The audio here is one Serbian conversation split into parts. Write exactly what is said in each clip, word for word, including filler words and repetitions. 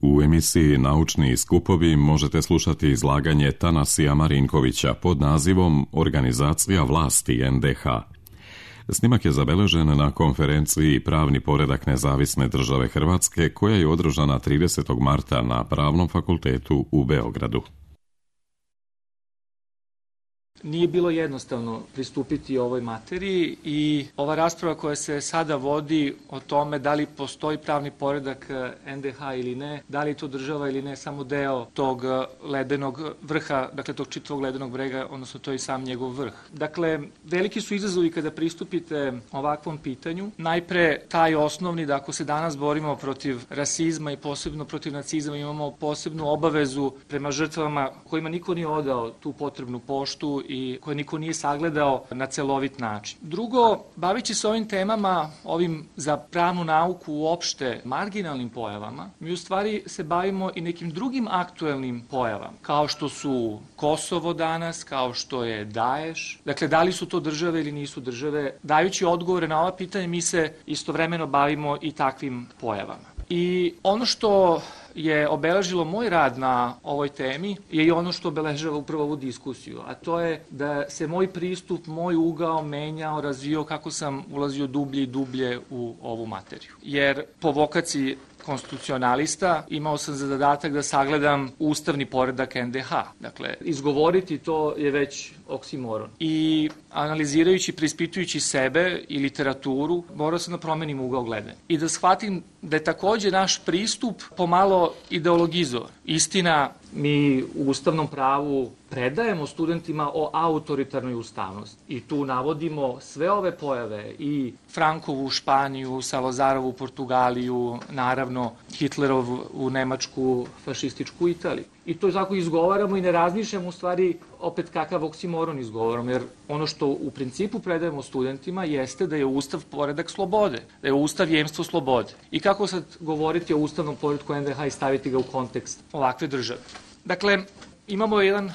U emisiji Naučni skupovi možete slušati izlaganje Tanasija Marinkovića pod nazivom Organizacija vlasti en de ha. Snimak je zabeležen na konferenciji Pravni poredak nezavisne države Hrvatske koja je održana tridesetog marta na Pravnom fakultetu u Beogradu. Nije bilo jednostavno pristupiti ovoj materiji i ova rasprava koja se sada vodi o tome da li postoji pravni poredak en de ha ili ne, da li je to država ili ne, samo deo tog ledenog vrha, dakle tog čitavog ledenog brega, odnosno to je i sam njegov vrh. Dakle, veliki su izazovi kada pristupite ovakvom pitanju. Najpre taj osnovni da ako se danas borimo protiv rasizma i posebno protiv nacizma, imamo posebnu obavezu prema žrtvama kojima niko nije odao tu potrebnu poštu i koje niko nije sagledao na celovit način. Drugo, bavići se ovim temama, ovim za pravnu nauku uopšte marginalnim pojavama, mi u stvari se bavimo i nekim drugim aktuelnim pojavama, kao što su Kosovo danas, kao što je Daeš. Dakle, da li su to države ili nisu države? Dajući odgovore na ova pitanja, mi se istovremeno bavimo i takvim pojavama. I ono što je obeležilo moj rad na ovoj temi je i ono što obeležava upravo ovu diskusiju, a to je da se moj pristup, moj ugao menjao, razvio kako sam ulazio dublje i dublje u ovu materiju. Jer po vokaciji konstitucionalista imao sam za zadatak da sagledam ustavni poredak en de ha. Dakle, izgovoriti to je već oksimoron. I analizirajući, preispitujući sebe i literaturu, morao sam da promenim ugao gledanja. I da shvatim da je takođe naš pristup pomalo ideologizovan. Istina, mi u ustavnom pravu predajemo studentima o autoritarnoj ustavnosti i tu navodimo sve ove pojave i Frankovu Španiju, Salozarovu Portugaliju, naravno Hitlerov u Nemačku, fašističku Italiju. I to tako izgovaramo i ne razmišljamo u stvari opet kakav oksimoron izgovaramo, jer ono što u principu predajemo studentima jeste da je Ustav poredak slobode, da je Ustav jemstvo slobode. I kako sad govoriti o ustavnom poredku en de ha i staviti ga u kontekst ovakve države? Dakle, imamo jedan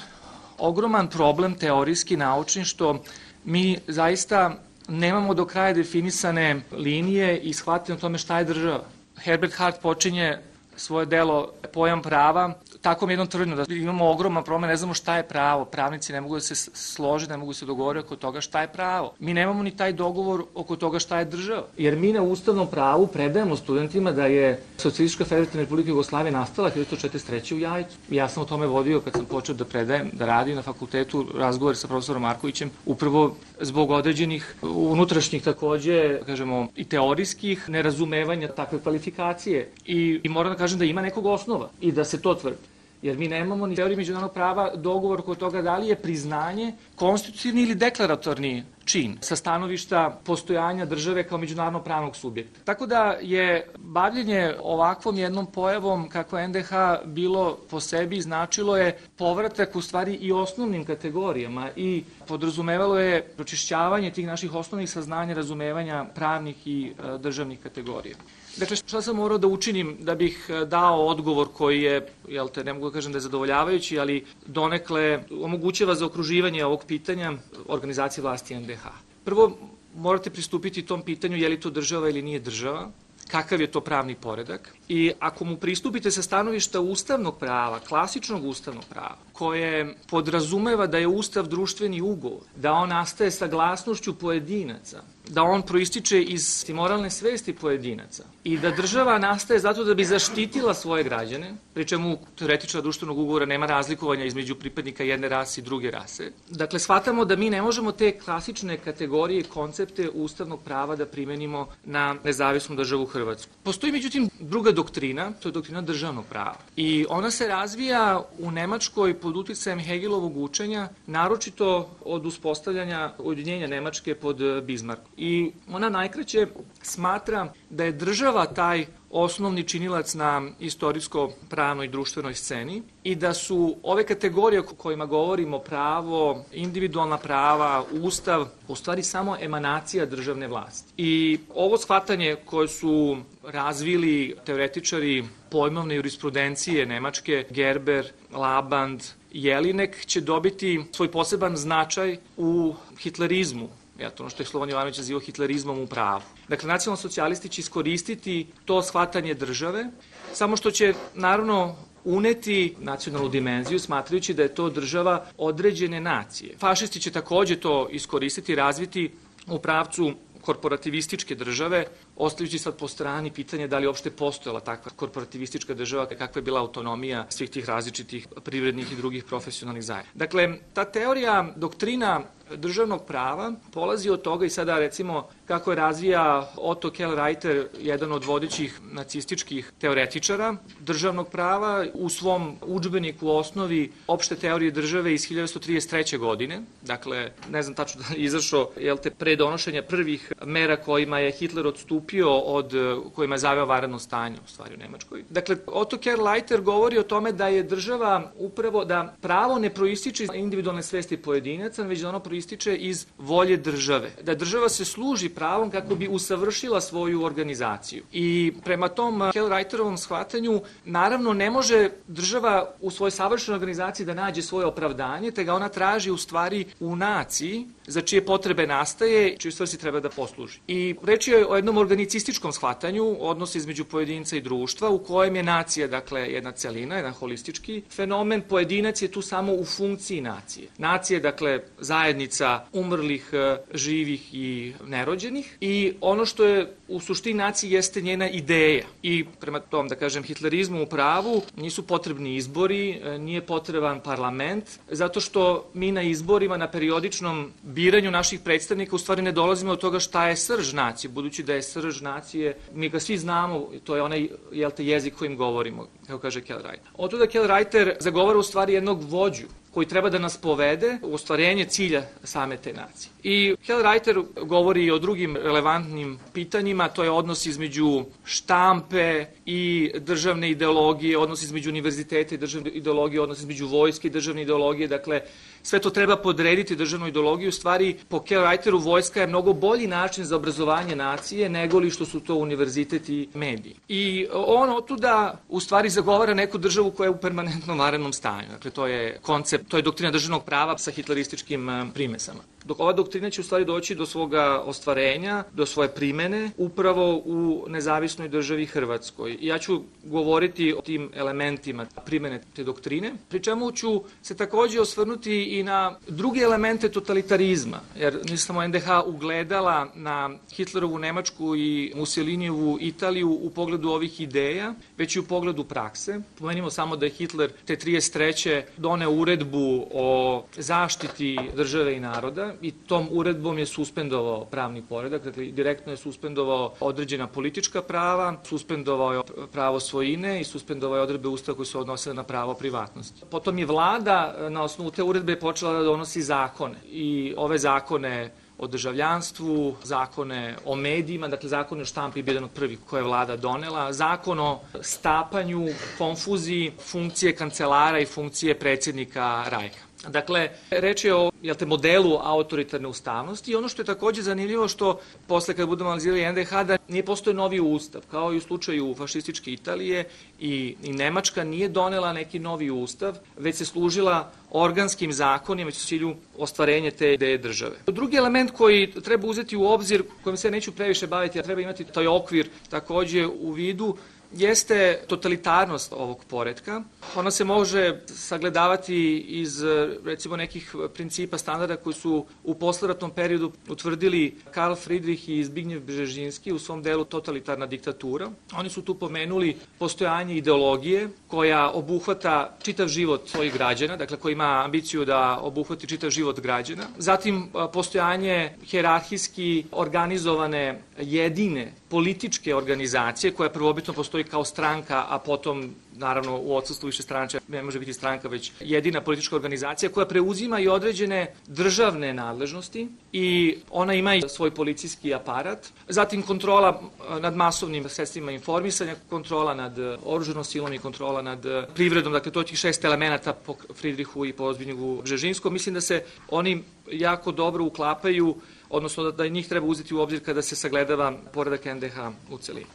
ogroman problem teorijski, naučni, što mi zaista nemamo do kraja definisane linije i shvatimo o tome šta je država. Herbert Hart počinje svoje delo Pojam prava takvom jednom tvrdnjom da imamo ogroman problem, ne znamo šta je pravo, pravnici ne mogu da se slože, ne mogu da se dogovore oko toga šta je pravo. Mi nemamo ni taj dogovor oko toga šta je država, jer mi na ustavnom pravu predajemo studentima da je Socijalistička Federativna Republika Jugoslavije nastala hiljadu devetsto četrdeset treće. u Jajcu. Ja sam o tome vodio kad sam počeo da predajem, da radim na fakultetu, razgovor sa profesorom Markovićem, upravo zbog određenih unutrašnjih takođe, kažemo, i teorijskih nerazumevanja takve kvalifikacije. I, i moram da kažem da ima nekog osnova i da se to tvrdi. Jer mi nemamo ni teoriji međunarodnog prava dogovor oko toga da li je priznanje konstitutivni ili deklaratorni čin sa stanovišta postojanja države kao međunarodno pravnog subjekta. Tako da je bavljenje ovakvom jednom pojavom kako en de ha bilo po sebi značilo je povratak u stvari i osnovnim kategorijama i podrazumevalo je pročišćavanje tih naših osnovnih saznanja, razumevanja pravnih i e, državnih kategorija. Dakle, šta sam morao da učinim da bih dao odgovor koji je, jel te, ne mogu da kažem da je zadovoljavajući, ali donekle omogućava zaokruživanje ovog pitanja organizacije vlasti en de ha. Prvo, morate pristupiti tom pitanju je li to država ili nije država, kakav je to pravni poredak i ako mu pristupite sa stanovišta ustavnog prava, klasičnog ustavnog prava, koje podrazumeva da je Ustav društveni ugovor, da on nastaje saglasnošću pojedinaca, da on proističe iz moralne svesti pojedinaca i da država nastaje zato da bi zaštitila svoje građane, pri čemu teoretičara društvenog ugovora nema razlikovanja između pripadnika jedne rase i druge rase. Dakle, shvatamo da mi ne možemo te klasične kategorije i koncepte ustavnog prava da primenimo na nezavisnu državu Hrvatsku. Postoji međutim druga doktrina, to je doktrina državnog prava. I ona se razvija u Nemačkoj pod uticajem Hegelovog učenja, naročito od uspostavljanja ujedinjenja Nemačke pod Bismarckom. I ona najkraće smatra da je država taj osnovni činilac na istorijsko-pravnoj i društvenoj sceni i da su ove kategorije o kojima govorimo, pravo, individualna prava, ustav, u stvari samo emanacija državne vlasti. I ovo shvatanje koje su razvili teoretičari pojmovne jurisprudencije Nemačke, Gerber, Laband, Jelinek, će dobiti svoj poseban značaj u hitlerizmu. Ja, to ono što je Slobodan Jovanović nazivao hitlerizmom u pravu. Dakle, nacionalni socijalisti će iskoristiti to shvatanje države, samo što će, naravno, uneti nacionalnu dimenziju, smatrajući da je to država određene nacije. Fašisti će takođe to iskoristiti i razviti u pravcu korporativističke države, ostavljajući sad po strani pitanje da li uopšte postojala takva korporativistička država, kakva je bila autonomija svih tih različitih privrednih i drugih profesionalnih zajednica. Dakle, ta teorija, doktrina državnog prava polazi od toga i sada recimo kako je razvija Otto Kellreiter, jedan od vodećih nacističkih teoretičara državnog prava, u svom udžbeniku u osnovi opšte teorije države iz hiljadu devetsto trideset treće. godine. Dakle, ne znam tačno da je izašao, jel te, pre donošenja prvih mera kojima je Hitler odstupio od kojima je zaveo vanredno stanje u stvari u Nemačkoj. Dakle, Otto Kellreiter govori o tome da je država upravo, da pravo ne proističe iz individualne svesti pojedinaca, već da ono proističe iz volje države. Da država se služi pravom kako bi usavršila svoju organizaciju. I prema tom Kellreiterovom shvatanju, naravno ne može država u svojoj savršenoj organizaciji da nađe svoje opravdanje, te ga ona traži u stvari u naciji, za čije potrebe nastaje, čiji svrsi treba da posluži. I reč je o jednom organicističkom shvatanju odnosa između pojedinca i društva, u kojem je nacija, dakle, jedna celina, jedan holistički fenomen. Pojedinac je tu samo u funkciji nacije. Nacija, dakle, zajednica umrlih, živih i nerođenih, i ono što je u suštini nacije jeste njena ideja. I prema tom, da kažem, hitlerizmu u pravu nisu potrebni izbori, nije potreban parlament, zato što mi na izborima, na periodičnom biranju naših predstavnika u stvari ne dolazimo od toga šta je srž nacije, budući da je srž nacije, mi ga svi znamo, to je onaj, jel te, jezik kojim govorimo, kako kaže Kellreiter. Od toga Kellreiter zagovara u stvari jednog vođu koji treba da nas povede u ostvarenje cilja same te nacije. I Kellreiter govori i o drugim relevantnim pitanjima, to je odnos između štampe i državne ideologije, odnos između univerziteta i državne ideologije, odnos između vojske i državne ideologije, dakle, sve to treba podrediti državnoj ideologiji. U stvari, po Kellreiteru vojska je mnogo bolji način za obrazovanje nacije nego li što su to univerzitet i mediji. I on otuda u stvari zagovara neku državu koja je u permanentnom vanrednom stanju. Dakle, to je koncept, to je doktrina državnog prava sa hitlerističkim primesama. Dok ova doktrina će u stvari doći do svoga ostvarenja, do svoje primene, upravo u nezavisnoj državi Hrvatskoj. I ja ću govoriti o tim elementima primene te doktrine, pri čemu ću se takođe osvrnuti i na druge elemente totalitarizma, jer nije samo en de ha ugledala na Hitlerovu Nemačku i Mussolinijevu Italiju u pogledu ovih ideja, već i u pogledu prakse. Pomenimo samo da je Hitler te trideset treće doneo uredbu o zaštiti države i naroda i tom uredbom je suspendovao pravni poredak, dakle direktno je suspendovao određena politička prava, suspendovao je pravo svojine i suspendovao je odredbe Ustava koje su odnosile na pravo privatnosti. Potom je vlada na osnovu te uredbe počela da donosi zakone i ove zakone o državljanstvu, zakone o medijima, dakle zakone o štampi je bio jedan od prvih koje je vlada donela, zakon o stapanju, konfuziji, funkcije kancelara i funkcije predsjednika Rajha. Dakle, reč je o, jel te, modelu autoritarne ustavnosti i ono što je takođe zanimljivo što posle kada budemo analizirali en de ha da nije postoje novi ustav, kao i u slučaju fašističke Italije i, i Nemačka nije donela neki novi ustav, već se služila organskim zakonima već u cilju ostvarenja te ideje države. Drugi element koji treba uzeti u obzir, kojim se neću previše baviti, a treba imati taj okvir takođe u vidu, jeste totalitarnost ovog poretka. Ona se može sagledavati iz, recimo, nekih principa standarda koji su u posleratnom periodu utvrdili Karl Friedrich i Zbigniew Brzezinski u svom delu Totalitarna diktatura. Oni su tu pomenuli postojanje ideologije koja obuhvata čitav život svojih građana, dakle koja ima ambiciju da obuhvati čitav život građana. Zatim postojanje hijerarhijski organizovane jedine političke organizacije koja prvobitno postoji kao stranka, a potom naravno u odsustvu više stranača ne može biti stranka, već jedina politička organizacija koja preuzima i određene državne nadležnosti i ona ima i svoj policijski aparat. Zatim kontrola nad masovnim sredstvima informisanja, kontrola nad oružanom silom i kontrola nad privredom. Dakle, to je tih šest elemenata po Friedrichu i po Zbigniewu Brzezinskom. Mislim da se oni jako dobro uklapaju, odnosno da njih treba uzeti u obzir kada se sagledava poredak en de ha u celini.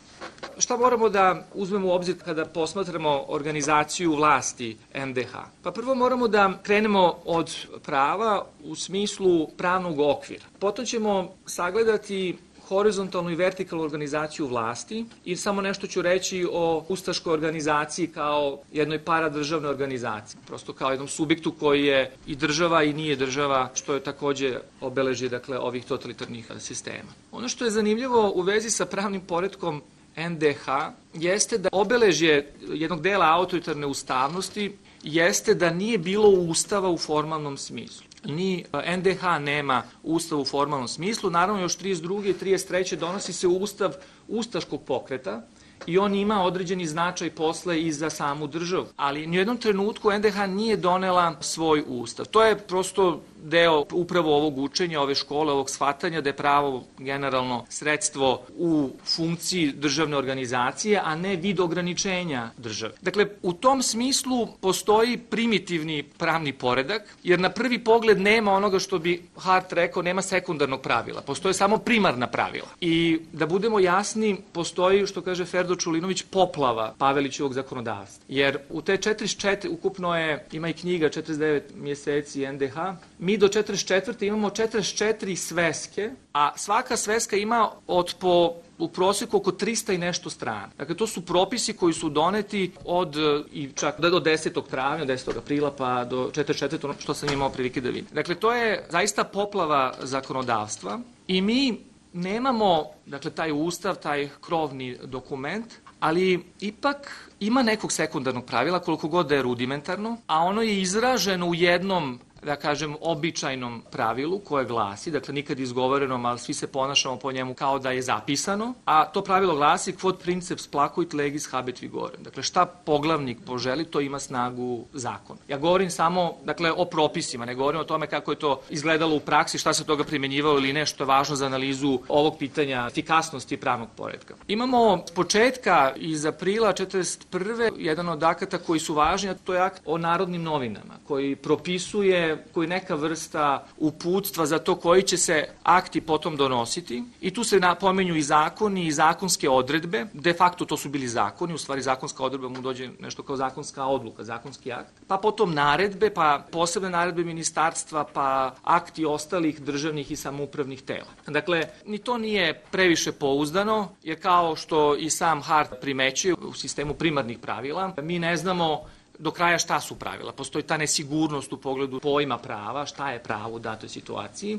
šta moramo da uzmemo u obzir kada posmatramo organizaciju vlasti en de ha? Pa prvo moramo da krenemo od prava u smislu pravnog okvira. Potom ćemo sagledati horizontalnu i vertikalnu organizaciju vlasti i samo nešto ću reći o ustaškoj organizaciji kao jednoj paradržavnoj organizaciji, prosto kao jednom subjektu koji je i država i nije država, što je takođe obeležje dakle, ovih totalitarnih sistema. Ono što je zanimljivo u vezi sa pravnim poretkom en de ha jeste da obeležje jednog dela autoritarne ustavnosti jeste da nije bilo ustava u formalnom smislu. Ni en de ha nema ustav u formalnom smislu, naravno još trideset druge i trideset treće donosi se ustav ustaškog pokreta i on ima određeni značaj posle i za samu državu. Ali u jednom trenutku en de ha nije donela svoj ustav. To je prosto deo upravo ovog učenja, ove škole, ovog shvatanja da je pravo generalno sredstvo u funkciji državne organizacije, a ne vid ograničenja države. Dakle, u tom smislu postoji primitivni pravni poredak, jer na prvi pogled nema onoga što bi Hart rekao, nema sekundarnog pravila, postoje samo primarna pravila. I da budemo jasni, postoji, što kaže Ferdo Čulinović, poplava Pavelićevog zakonodavstva. Jer u te četrdeset četiri, ukupno je, ima i knjiga četrdeset devet mjeseci en de ha, mi do četrdeset četvrte imamo četrdeset četiri sveske, a svaka sveska ima od po u prosjeku oko trista i nešto strana. Dakle, to su propisi koji su doneti od i čak do desetog travnja, desetog aprila pa do četrdeset četvrte ono što sam imao prilike da vidim. Dakle, to je zaista poplava zakonodavstva i mi nemamo, dakle, taj ustav, taj krovni dokument, ali ipak ima nekog sekundarnog pravila, koliko god da je rudimentarno, a ono je izraženo u jednom, da kažem, običajnom pravilu koje glasi, dakle nikad izgovorenom, ali svi se ponašamo po njemu kao da je zapisano, a to pravilo glasi quod princeps placuit legis habet vigorem. Dakle, šta poglavnik poželi, to ima snagu zakona. Ja govorim samo, dakle, o propisima, ne govorim o tome kako je to izgledalo u praksi, šta se toga primenjivalo ili nešto je važno za analizu ovog pitanja efikasnosti pravnog poretka. Imamo s početka iz aprila četrdeset prve jedan od akata koji su važni, a to je akt o Narodnim novinama, koji propisuje koji neka vrsta uputstva za to koji će se akti potom donositi i tu se napomenju i zakoni i zakonske odredbe, de facto to su bili zakoni, u stvari zakonska odredba mu dođe nešto kao zakonska odluka, zakonski akt, pa potom naredbe, pa posebne naredbe ministarstva, pa akti ostalih državnih i samoupravnih tela. Dakle, ni to nije previše pouzdano, jer kao što i sam Hart primećuje u sistemu primarnih pravila, mi ne znamo do kraja šta su pravila. Postoji ta nesigurnost u pogledu pojma prava, šta je pravo u datoj situaciji.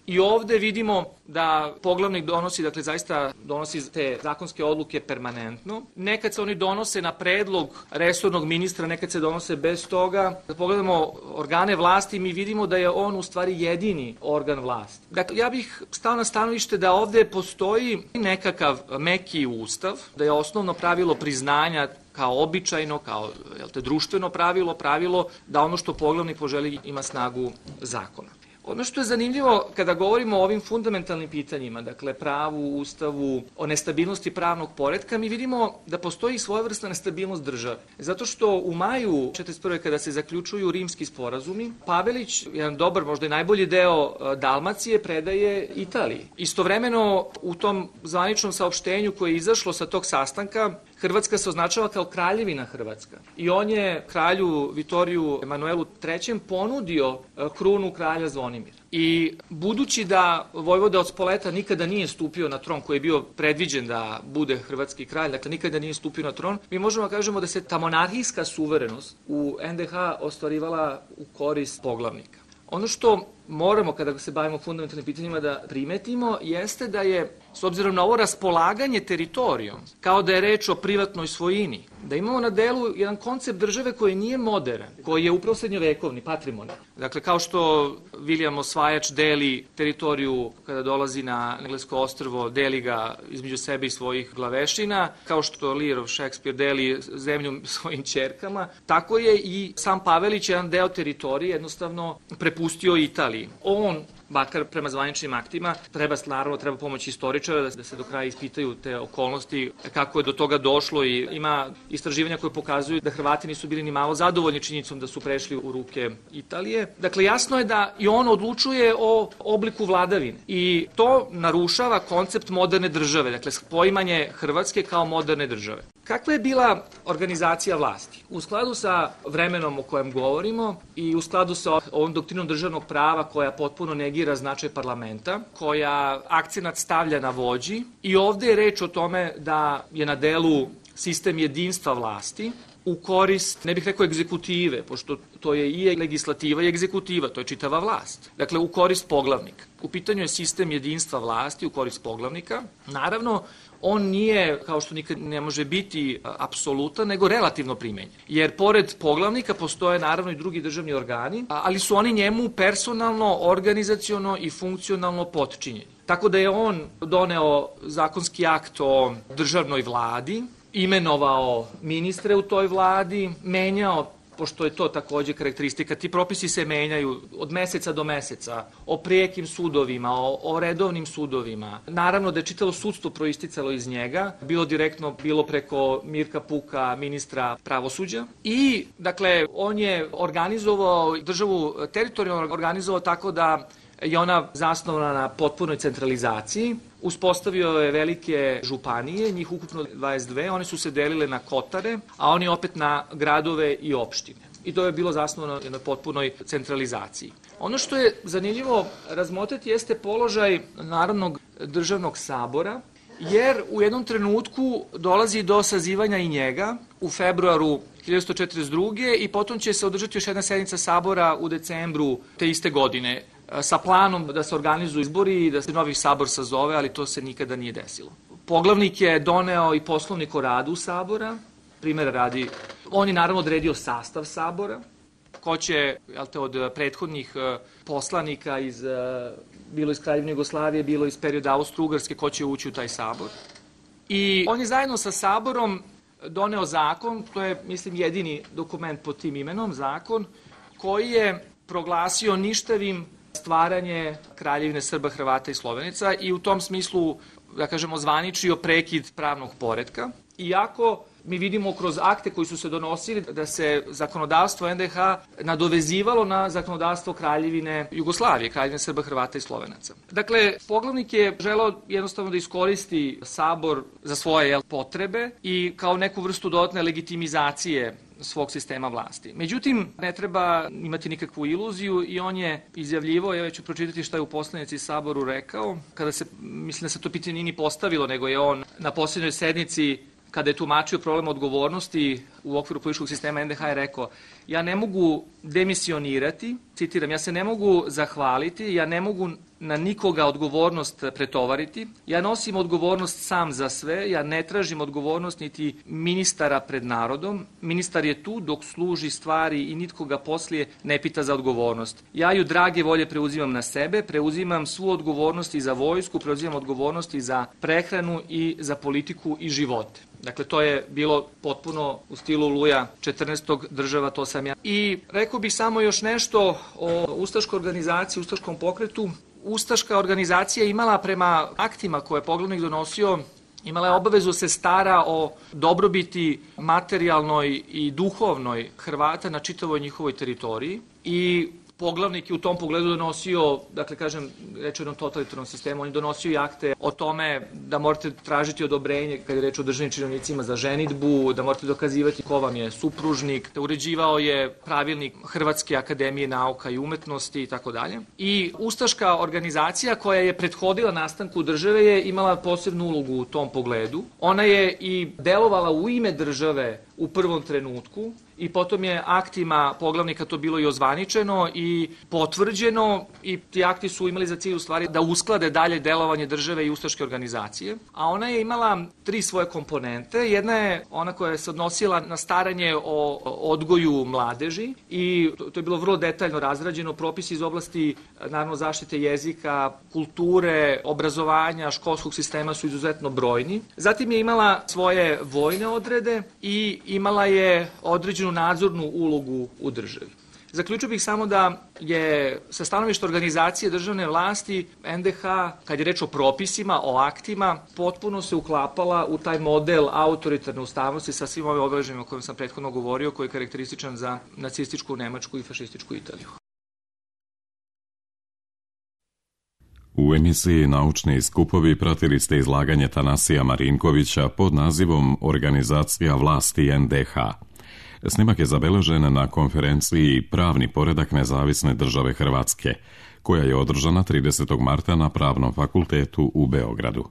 I ovde vidimo da poglavnik donosi, dakle zaista donosi te zakonske odluke permanentno. Nekad se oni donose na predlog resornog ministra, nekad se donose bez toga. Kad pogledamo organe vlasti, mi vidimo da je on u stvari jedini organ vlasti. Dakle, ja bih stao na stanovište da ovde postoji nekakav meki ustav, da je osnovno pravilo priznanja kao običajno, kao jel te, društveno pravilo, pravilo da ono što poglavnik poželi ima snagu zakona. Ono što je zanimljivo kada govorimo o ovim fundamentalnim pitanjima, dakle pravu, ustavu, o nestabilnosti pravnog poretka, mi vidimo da postoji svojevrsna nestabilnost države. Zato što u maju četrdeset prve kada se zaključuju rimski sporazumi, Pavelić, jedan dobar, možda i najbolji deo Dalmacije, predaje Italiji. Istovremeno u tom zvaničnom saopštenju koje je izašlo sa tog sastanka, Hrvatska se označava kao kraljevina Hrvatska. I on je kralju Vitoriju Emanuelu trećem ponudio krunu kralja Zvonimira. I budući da vojvoda od Spoleta nikada nije stupio na tron koji je bio predviđen da bude hrvatski kralj, dakle nikada nije stupio na tron, mi možemo da kažemo da se ta monarhijska suverenost u en de ha ostvarivala u korist poglavnika. Ono što moramo, kada se bavimo fundamentalnim pitanjima, da primetimo, jeste da je, s obzirom na ovo raspolaganje teritorijom, kao da je reč o privatnoj svojini, da imamo na delu jedan koncept države koji nije modern, koji je upravo srednjovekovni, patrimonijalni. Dakle, kao što William Osvajač deli teritoriju kada dolazi na englesko ostrvo, deli ga između sebe i svojih glavešina, kao što Lear of Shakespeare deli zemlju svojim ćerkama, tako je i sam Pavelić jedan deo teritorije jednostavno prepustio Italiji. On bakar prema zvaničnim aktima. Treba, naravno, treba pomoć istoričara da, da se do kraja ispitaju te okolnosti, kako je do toga došlo i ima istraživanja koje pokazuju da Hrvati nisu bili ni malo zadovoljni činjenicom da su prešli u ruke Italije. Dakle, jasno je da i on odlučuje o obliku vladavine i to narušava koncept moderne države, dakle, poimanje Hrvatske kao moderne države. Kakva je bila organizacija vlasti? U skladu sa vremenom o kojem govorimo i u skladu sa ovom doktrinom državnog prava koja potpuno negira značaj parlamenta, koja akcenat stavlja na vođi i ovde je reč o tome da je na delu sistem jedinstva vlasti u korist, ne bih rekao egzekutive, pošto to je i legislativa i egzekutiva, to je čitava vlast. Dakle, u korist poglavnika. U pitanju je sistem jedinstva vlasti u korist poglavnika. Naravno, on nije, kao što nikad ne može biti apsolutan, nego relativno primenjen. Jer pored poglavnika postoje naravno i drugi državni organi, ali su oni njemu personalno, organizaciono i funkcionalno potčinjeni. Tako da je on doneo zakonski akt o državnoj vladi, imenovao ministre u toj vladi, menjao, pošto je to takođe karakteristika, ti propisi se menjaju od meseca do meseca, o prijekim sudovima, o, o redovnim sudovima. Naravno da je čitalo sudstvo proisticalo iz njega, bilo direktno, bilo preko Mirka Puka, ministra pravosuđa. I, dakle, on je organizovao državu, teritorijalno organizovao tako da je ona zasnovana na potpunoj centralizaciji. Uspostavio je velike županije, njih ukupno dvadeset dve, one su se delile na kotare, a oni opet na gradove i opštine. I to je bilo zasnovano na potpunoj centralizaciji. Ono što je zanimljivo razmotriti jeste položaj Narodnog državnog sabora, jer u jednom trenutku dolazi do sazivanja i njega u februaru hiljadu četiristo četrdeset druge i potom će se održati još jedna sednica sabora u decembru te iste godine, sa planom da se organizuju izbori i da se novi sabor sazove, ali to se nikada nije desilo. Poglavnik je doneo i poslovnik o radu sabora, primjera radi, on je naravno odredio sastav sabora, ko će, jel te, od prethodnih poslanika iz, bilo iz Kraljevine Jugoslavije, bilo iz perioda Austro-Ugarske, ko će ući u taj sabor. I on je zajedno sa saborom doneo zakon, to je, mislim, jedini dokument pod tim imenom, zakon, koji je proglasio ništavim stvaranje Kraljevine Srba, Hrvata i Slovenaca i u tom smislu, da kažemo, zvaničio prekid pravnog poretka. Iako mi vidimo kroz akte koji su se donosili da se zakonodavstvo en de ha nadovezivalo na zakonodavstvo Kraljevine Jugoslavije, Kraljevine Srba, Hrvata i Slovenaca. Dakle, poglavnik je želeo jednostavno da iskoristi sabor za svoje, jel, potrebe i kao neku vrstu dodatne legitimizacije svog sistema vlasti. Međutim, ne treba imati nikakvu iluziju i on je izjavljivo, ja ću pročitati šta je u poslanici Saboru rekao, kada se, mislim da se to pitanje nije ni postavilo, nego je on na posljednjoj sednici, kada je tumačio problem odgovornosti u okviru političkog sistema en de ha, je rekao: ja ne mogu demisionirati, citiram, ja se ne mogu zahvaliti, ja ne mogu na nikoga odgovornost pretovariti, ja nosim odgovornost sam za sve, ja ne tražim odgovornost niti ministara pred narodom, ministar je tu dok služi stvari i nitko ga poslije ne pita za odgovornost. Ja ju drage volje preuzimam na sebe, preuzimam svu odgovornost i za vojsku, preuzimam odgovornost i za prehranu i za politiku i živote. Dakle, to je bilo potpuno u stilu Luja četrnaestog, država to sam ja. I rekao bih samo još nešto o ustaškoj organizaciji, ustaškom pokretu. Ustaška organizacija imala prema aktima koje je poglavnik donosio, imala je obavezu se stara o dobrobiti materijalnoj i duhovnoj Hrvata na čitavoj njihovoj teritoriji i poglavnik je u tom pogledu donosio, dakle, kažem, reč o jednom totalitarnom sistemu, on je donosio i akte o tome da morate tražiti odobrenje kada je reč o državnim činovnicima za ženidbu, da morate dokazivati ko vam je supružnik, da uređivao je pravilnik Hrvatske akademije nauka i umetnosti i tako dalje. I ustaška organizacija koja je prethodila nastanku države je imala posebnu ulogu u tom pogledu. Ona je i delovala u ime države u prvom trenutku i potom je aktima poglavnika to bilo i ozvaničeno i potvrđeno i ti akti su imali za cilj u stvari da usklade dalje delovanje države i ustaške organizacije. A ona je imala tri svoje komponente. Jedna je ona koja se odnosila na staranje o odgoju mladeži i to je bilo vrlo detaljno razrađeno, propisi iz oblasti naravno zaštite jezika, kulture, obrazovanja, školskog sistema su izuzetno brojni. Zatim je imala svoje vojne odrede i imala je određenu nadzornu ulogu u državi. Zaključio bih samo da je sa stanovišta organizacije državne vlasti en de ha, kad je reč o propisima, o aktima, potpuno se uklapala u taj model autoritarne ustavnosti sa svim ovim obeležjima o kojim sam prethodno govorio, koji je karakterističan za nacističku Nemačku i fašističku Italiju. U emisiji Naučni skupovi pratili ste izlaganje Tanasija Marinkovića pod nazivom Organizacija vlasti en de ha. Snimak je zabeležen na konferenciji Pravni poredak nezavisne države Hrvatske, koja je održana tridesetog marta na Pravnom fakultetu u Beogradu.